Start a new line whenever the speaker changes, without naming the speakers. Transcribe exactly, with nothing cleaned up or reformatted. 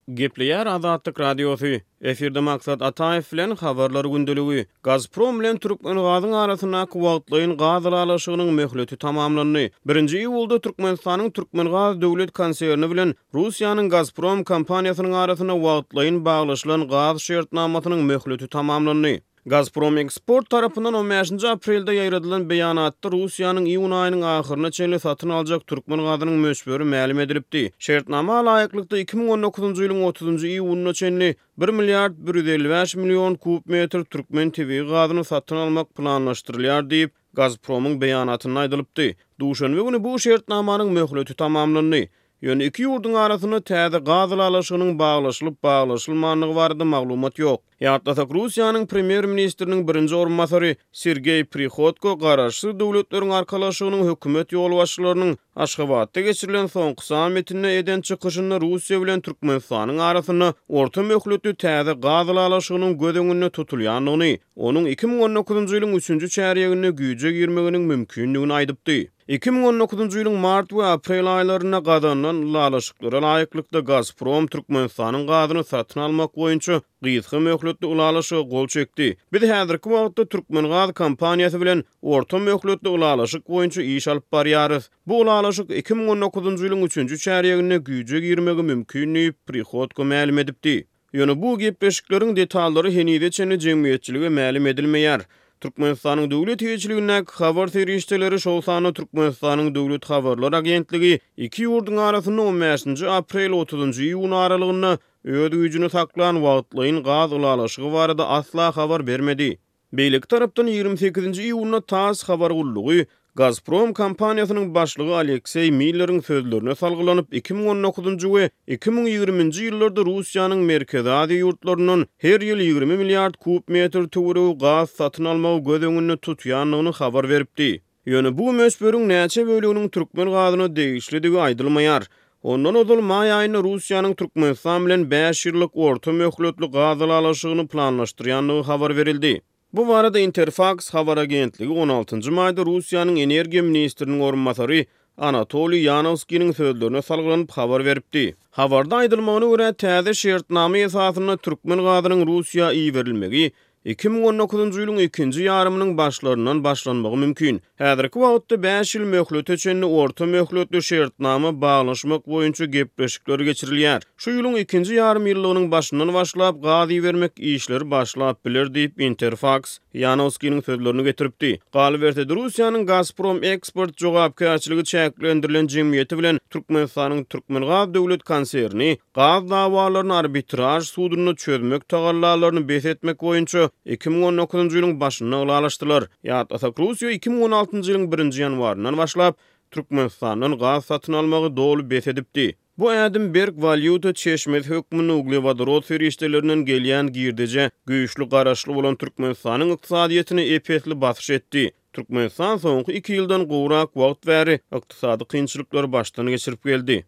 Gepleýär Azatlyk Radiosy. Efirde Maksat Ataýew bilen Habarlar gündeligi. Gazprom bilen Türkmengazyň arasyndaky wagtlaýyn gaz ylalaşygynyň möhleti tamamlandy. Birinji iýulda Türkmenistanyň Türkmengaz döwlet konserni bilen Russiýanyň Gazprom kompaniýasynyň arasynda wagtlaýyn baglaşylan gaz şertnamasynyň möhleti tamamlandy. Gazprom Eksport tarapyndan on bäşinji aprelde ýaýradylan beýanatda Russiýanyň iýun aýynyň ahyryna çenli satyn aljak türkmen gazynyň möçberi mälim edilipdi. Şertnama laýyklykda iki müň on dokuzynjy ýylyň otuzynjy iýunyna çenli bir milliard bir ýüz elli bäş million kub metr türkmen tebigy gazyny satyn almak planlaşdyrylýar diýip, Gazpromyň beýanatynda aýdylypdy. Duşenbe güni bu şertnamanyň möhleti tamamlandy. Ýöne iki ýurduň arasynda täze gaz ylalaşygynyň baglaşylyp-baglaşylmandygy barada maglumat ýok. Ýatlasak, Russiýanyň premýer-ministriniň birinji orunbasary Sergeý Prihodko Garaşsyz Döwletleriň Arkalaşygynyň hökümet ýolbaşçylarynyň Aşgabatda geçirilen soňky sammitinde eden çykyşynda Russiýa bilen Türkmenistanyň arasynda orta möhletli täze gaz ylalaşygynyň göz öňünde tutulýandygyny, onuň iki müň on dokuzynjy ýylyň üçünji çärýeginde güýje girmeginiň mümkindigini aýdypdy. Iki müň on dokuzynjy ýylyň mart we aprel aýlarynda gazanylan ylalaşyklara laýyklykda Gazprom Türkmenistanyň gazyny satyn almak boýunça gysga möhletli ylalaşyga gol çekdi. Biz häzirki wagtda Türkmengaz kompaniýasy bilen orta möhletli ylalaşyk boýunça iş alyp barýarys. Bu ylalaşyk iki müň on dokuzynjy ýylyň üçünji çärýeginde güýje girmegi mümkin diýip, Prihodko mälim edipdi. Ýöne bu gepleşikleriň detallary henize çenli jemgyýetçilige mälim edilmeýär. Türkmenistanyň döwlet eýeçiligindäki habar serişdeleri, şol sanda Türkmenistanyň Döwlet habarlar agentligi iki ýurduň arasynda on bäşinji aprel otuzynjy iýun aralygynda öz güýjüni saklan wagtlaýyn gaz ylalaşygy barada asla habar bermedi. Beýleki tarapdan ýigrimi sekizinji iýunda TASS habar gullugy Gazprom kompaniýasynyň başlygy Alekseý Milleriň sözlerine salgylanyp, iki müň on dokuzynjy we iki müň ýigriminji ýyllarda Russiýanyň Merkezi Aziýa ýurtlaryndan her ýyl ýigrimi milliard kub metr töweregi gaz satyn almagy göz öňünde tutýandygyny habar beripdi. Ýöne bu möçberiň näçe böleginiň türkmen gazyna degişlidigi aýdylmaýar. Ondan ozal maý aýynda Russiýanyň Türkmenistan bilen bäş ýyllyk orta möhletli gaz ylalaşygyny planlaşdyrýandygy habar berildi. Bu barada Interfaks habar agentligi on altynjy maýda Russiýanyň energiýa ministriniň orunbasary Anatoliý Ýanowskiniň sözlerine salgylanyp habar beripdi. Habarda aýdylmagyna görä, täze şertnama esasynda türkmen gazynyň Russiýa iberilmegi iki müň on dokuzynjy ýylyň ikinji ýarymynyň başlaryndan başlanmagy mümkin. Häzirki wagtda bäş ýyl möhlete çenli orta möhletli şertnama baglaşmak boýunça gepleşikler geçirilýär. Şu ýylyň ikinji ýarym ýyllygynyň başyndan başlap gaz ibermek işleri başlap biler diýip, Interfaks Ýanowskiniň sözlerini getiripdi. Galyberse-de, Russiýanyň Gazprom Eksport jogapkärçiligi çäklendirilen jemgyýeti bilen Türkmenistanyň Türkmengaz döwlet konserni gaz dawalaryny arbitraž sudunda çözmek tagallalaryny bes etmek boýunça iki müň on dokuzynjy ýylyň başynda ylalaşdylar. Ýatlasak, Russiýa iki müň on altynjy ýylyň birinji ýanwaryndan başlap Türkmenistandan gaz satyn almagy doly bes edipdi. Bu ädim berk walýuta çeşmesi hökmünde uglewodorod serişdelerinden gelýän girdejä güýçli garaşly bolan Türkmenistanyň ykdysadyýetine ep-esli basyş etdi. Türkmenistan soňky iki ýyldan gowrak wagt bäri ykdysady kynçylyklary başdan geçirip geldi.